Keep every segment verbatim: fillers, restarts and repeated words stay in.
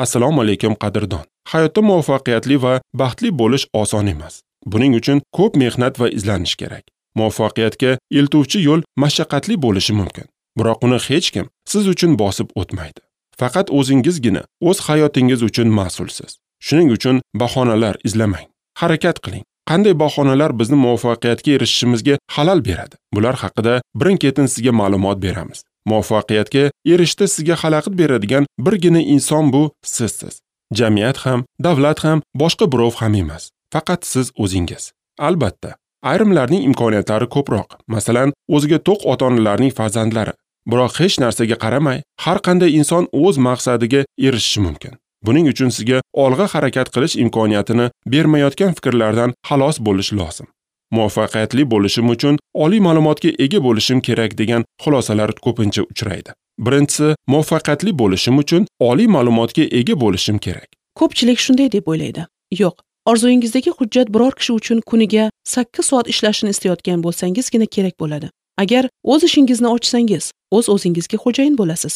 Assalomu alaykum qadrdon. Hayotda muvaffaqiyatli va baxtli bo'lish oson emas. Buning uchun ko'p mehnat va izlanish kerak. Muvaffaqiyatga eltuvchi yo'l mashaqqatli bo'lishi mumkin. Biroq uni hech kim siz uchun bosib o'tmaydi. Faqat o'zingizgina o'z hayotingiz uchun mas'ulsiz. Shuning uchun bahonalar izlamang. Harakat qiling. Qanday bahonalar bizni muvaffaqiyatga erishishimizga xalal beradi? Bular haqida birin-ketin sizga ma'lumot beramiz. Muvaffaqiyatga erishishda sizga xalaqit beradigan birgina inson bu sizsiz. Jamiyat ham, davlat ham, boshqa birov ham emas. Faqat siz o'zingiz. Albatta, ayrimlarning imkoniyatlari ko'proq. Masalan, o'ziga to'q ota-onalarning farzandlari. Biroq hech narsaga qaramay, har qanday inson o'z maqsadiga erishishi mumkin. Buning uchun sizga olg'a harakat qilish imkoniyatini bermayotgan fikrlardan xalos bo'lish lozim. Muvaffaqiyatli bo'lishim uchun oliy ma'lumotga ega bo'lishim kerak degan xulosalar ko'pincha uchraydi. Birinchisi, muvaffaqiyatli bo'lishim uchun oliy ma'lumotga ega bo'lishim kerak. Ko'pchilik shunday deb o'ylaydi. Yo'q, orzuyingizdagi hujjat biror kishi uchun kuniga sakkiz soat ishlashini istayotgan bo'lsangizgina kerak bo'ladi. Agar o'z ishingizni ochsangiz, o'z o'zingizga xo'jayin bo'lasiz.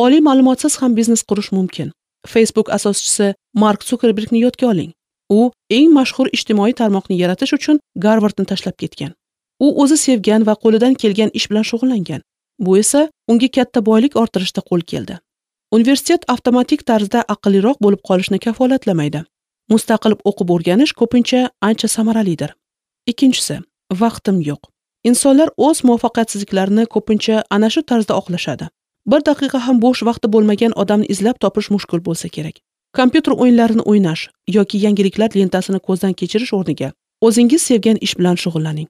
Oliy ma'lumotsiz ham biznes qurish mumkin. Facebook asoschisi Mark Zuckerbergni yodga oling. U eng mashhur ijtimoiy tarmoqni yaratish uchun Garvardni tashlab ketgan. U o'zi sevgan va qo'lidan kelgan ish bilan shug'ullangan. Bu esa unga katta boylik orttirishda qo'l keldi. Universitet avtomatik tarzda aqlliroq bo'lib qolishni kafolatlamaydi. Mustaqil o'qib o'rganish ko'pincha ancha samaralidir. Ikkinchisi, vaqtim yo'q. Insonlar o'z muvaffaqiyatsizliklarini ko'pincha ana shu tarzda oqlashadi. Bir daqiqa ham bo'sh vaqti bo'lmagan odamni izlab topish mushkul bo'lsa kerak. Kompyuter o'yinlarini o'ynash yoki yangiliklar lentasini ko'zdan kechirish o'rniga o'zingiz sevgan ish bilan shug'ullaning.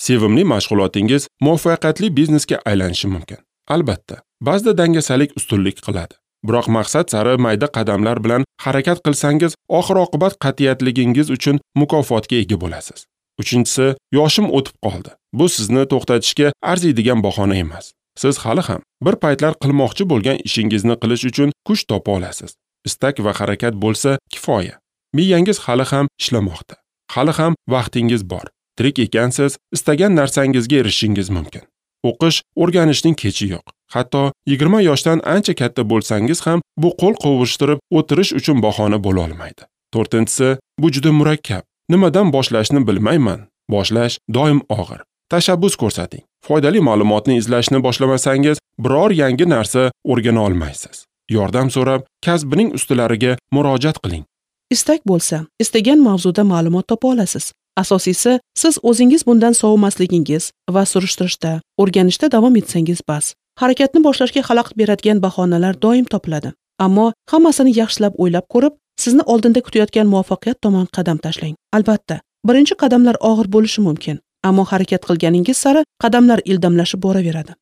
Sevimli mashg'ulotingiz muvaffaqiyatli biznesga aylanishi mumkin. Albatta, ba'zida dangasalik ustunlik qiladi. Biroq maqsad sari mayda qadamlar bilan harakat qilsangiz, oxir-oqibat qat'iyatligingiz uchun mukofotga ega bo'lasiz. Uchinchisi, yoshim o'tib qoldi. Bu sizni to'xtatishga arziydigan bahona emas. Siz hali ham bir paytlar qilmoqchi bo'lgan ishingizni qilish uchun kuch topa olasiz. Istak va harakat bo'lsa kifoya. Miyangiz hali ham ishlamoqda. Hali ham vaqtingiz bor. Tirik ekansiz, istagan narsangizga erishishingiz mumkin. O'qish, o'rganishning kechi yo'q. Hatto yigirma yoshdan ancha katta bo'lsangiz ham bu qo'l qovushtirib o'tirish uchun bahona bo'la olmaydi. To'rtinchisi, bu juda murakkab. Nimadan boshlashni bilmayman. Boshlash doim og'ir. Tashabbus ko'rsating. Foydali ma'lumotni izlashni boshlamasangiz, biror yangi narsa o'rgana olmaysiz. Yordam so'rab, kasbining ustalariga murojaat qiling. Istak bo'lsa, istagan mavzuda ma'lumot topa olasiz. Asosiysi, siz o'zingiz bundan sovimasligingiz va surishtirishda, o'rganishda davom etsangiz bas. Harakatni boshlashga xalaqit beradigan bahonalar doim topiladi. Ammo hammasini yaxshilab o'ylab ko'rib, sizni oldinda kutayotgan muvaffaqiyat tomon qadam tashlang. Albatta, birinchi qadamlar og'ir bo'lishi mumkin, ammo harakat qilganingiz sari qadamlar ildamlashib boraveradi.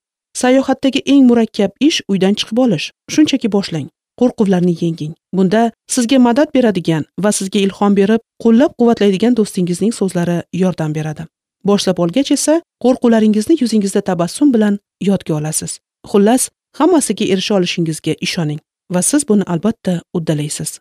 Sayohatdagi eng murakkab ish uydan chiqib olish. Shunchaki boshlang. Qo'rquvlarni yenging. Bunda sizga madad beradigan va sizga ilhom berib, qo'llab-quvvatlaydigan do'stingizning so'zlari yordam beradi. Boshlab olgach esa, qo'rquvlaringizni yuzingizda tabassum bilan yodga olasiz. Xullas, hammasiga erisha olishingizga ishoning va siz buni albatta uddalaysiz.